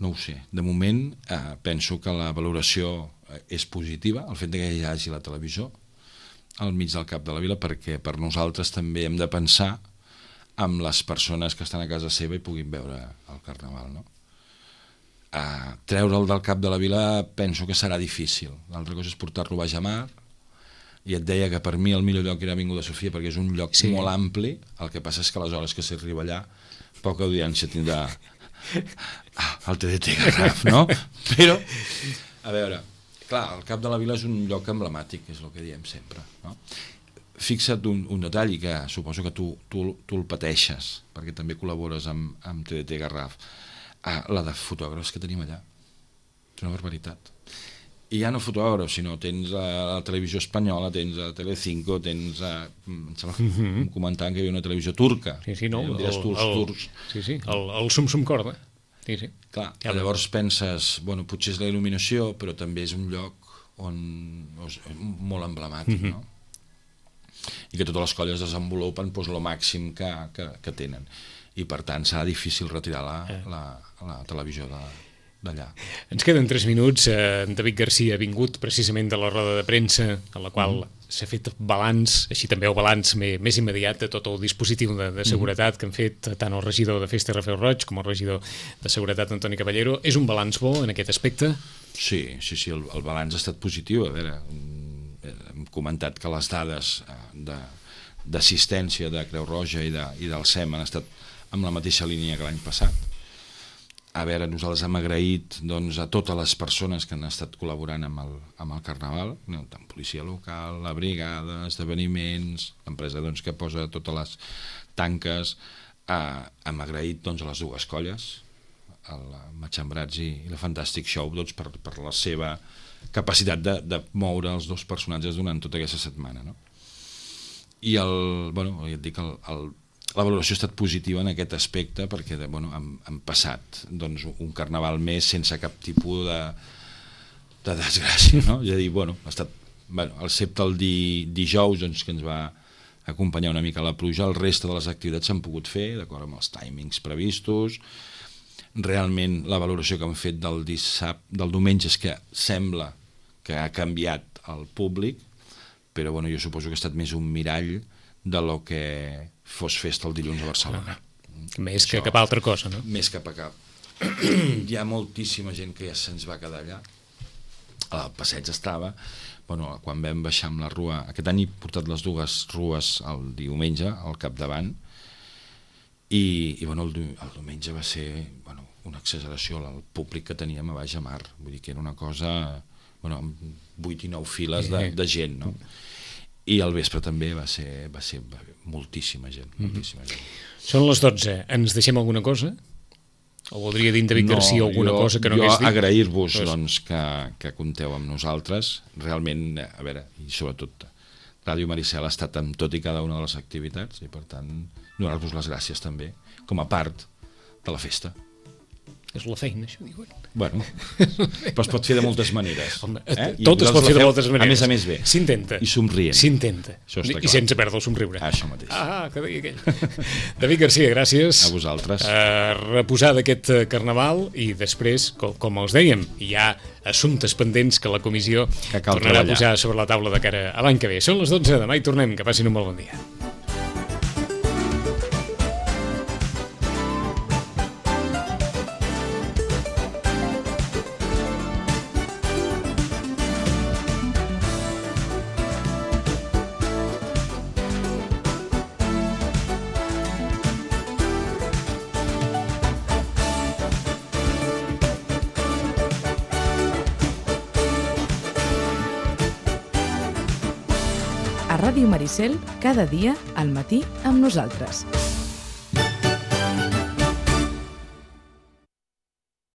No ho sé. De moment eh, penso que la valoració és positiva, el fet que hi hagi la televisió al mig del Cap de la Vila, perquè per nosaltres també hem de pensar amb les persones que estan a casa seva i puguin veure el Carnaval, no? Uh, treure'l del Cap de la Vila penso que serà difícil. L'altra cosa és portar-lo a baix a mar, i et deia que per mi el millor lloc era Avinguda Sofia perquè és un lloc sí. molt ampli. El que passa és que a les hores que s'arriba allà poca audiència tindrà ah, el T D T Garraf, no? Però, a veure, clar, el Cap de la Vila és un lloc emblemàtic, és el que diem sempre, no? Fixa't un, un detall, i que suposo que tu, tu, tu el pateixes, perquè també col·labores amb, amb T D T Garraf. Ah, la de fotògrafs que tenim allà. És una barbaritat. I ja no fotògrafs, sinó tens a la televisió espanyola, tens a Telecinco, tens a... Em sembla que mm-hmm. em comentaven que hi havia una televisió turca. Sí, sí, no? Eh? El, turcs, el, turcs. Sí, sí, el, el sum-sum corda. Sí, sí. Clar, ja llavors penses, bueno, potser és la il·luminació, però també és un lloc on és molt emblemàtic, mm-hmm. no? I que totes les colles desenvolupen doncs, el màxim que, que, que tenen. I per tant serà difícil retirar la, eh. la, la televisió de, d'allà. Ens queden tres minuts. eh, David Garcia ha vingut precisament de la roda de premsa en la qual mm. s'ha fet balanç, així també el balanç més, més immediat de tot el dispositiu de, de seguretat mm. que han fet tant el regidor de Festa Rafael Roig com el regidor de Seguretat Antoni Caballero. És un balanç bo en aquest aspecte? Sí, sí, sí, el, el balanç ha estat positiu. A veure, hem comentat que les dades de, d'assistència de Creu Roja i, de, i del SEM han estat amb la mateixa línia que l'any passat. A veure, nosaltres hem agraït doncs, a totes les persones que han estat col·laborant amb el, amb el Carnaval, no? Tant policia local, la brigada, esdeveniments, l'empresa doncs, que posa totes les tanques. Eh, hem agraït doncs, a les dues colles, el Matxembrats i, i la Fantastic Show, doncs, per, per la seva capacitat de, de moure els dos personatges durant tota aquesta setmana, no? I el, bueno, ja et dic, el, el, la valoració ha estat positiva en aquest aspecte perquè bueno, hem, hem passat doncs, un Carnaval més sense cap tipus de, de desgràcia, no? És a dir, bueno, ha estat, bueno, excepte el di, dijous doncs, que ens va acompanyar una mica la pluja, el reste de les activitats s'han pogut fer d'acord amb els timings previstos. Realment la valoració que han fet del dissabte, del diumenge és que sembla que ha canviat el públic, però bueno, jo suposo que ha estat més un mirall de lo que fos festa el dilluns a Barcelona. Ah, més Això, que cap altra cosa, no? Més que per cap. Hi ha moltíssima gent que ja se'ns va quedar allà. El passeig estava, bueno, quan vam baixar amb la rua, aquest any he portat les dues rues el diumenge al capdavant, i, i bueno, el, el diumenge va ser bueno, una exageració el públic que teníem a baix a mar, vull dir que era una cosa bueno, amb vuit i nou files de, de gent, no? I al vespre també va ser, va ser moltíssima gent, moltíssima gent. Són les dotze, ens deixem alguna cosa? O voldria dir en David no, Garcia alguna jo, cosa que no hagués dit? Jo agrair-vos doncs, que, que compteu amb nosaltres, realment, a veure, i sobretot Ràdio Maricel ha estat amb tot i cada una de les activitats i per tant donar-vos les gràcies també com a part de la festa. És la feina, això diuen. Bueno, però es pot fer de moltes maneres. Home, eh? Tot es pot fer de moltes maneres. A més a més bé. S'intenta. I somrient. S'intenta. I sense perdre el somriure. Ah, això mateix. Ah, que deia aquell. David Garcia, gràcies. A vosaltres. A reposar d'aquest Carnaval i després, com, com els dèiem, hi ha assumptes pendents que la comissió que tornarà treballar. a posar sobre la taula de cara a l'any que ve. Són les dotze, demà hi tornem. Que passin un molt bon dia. A Ràdio Maricel, cada dia al matí amb nosaltres.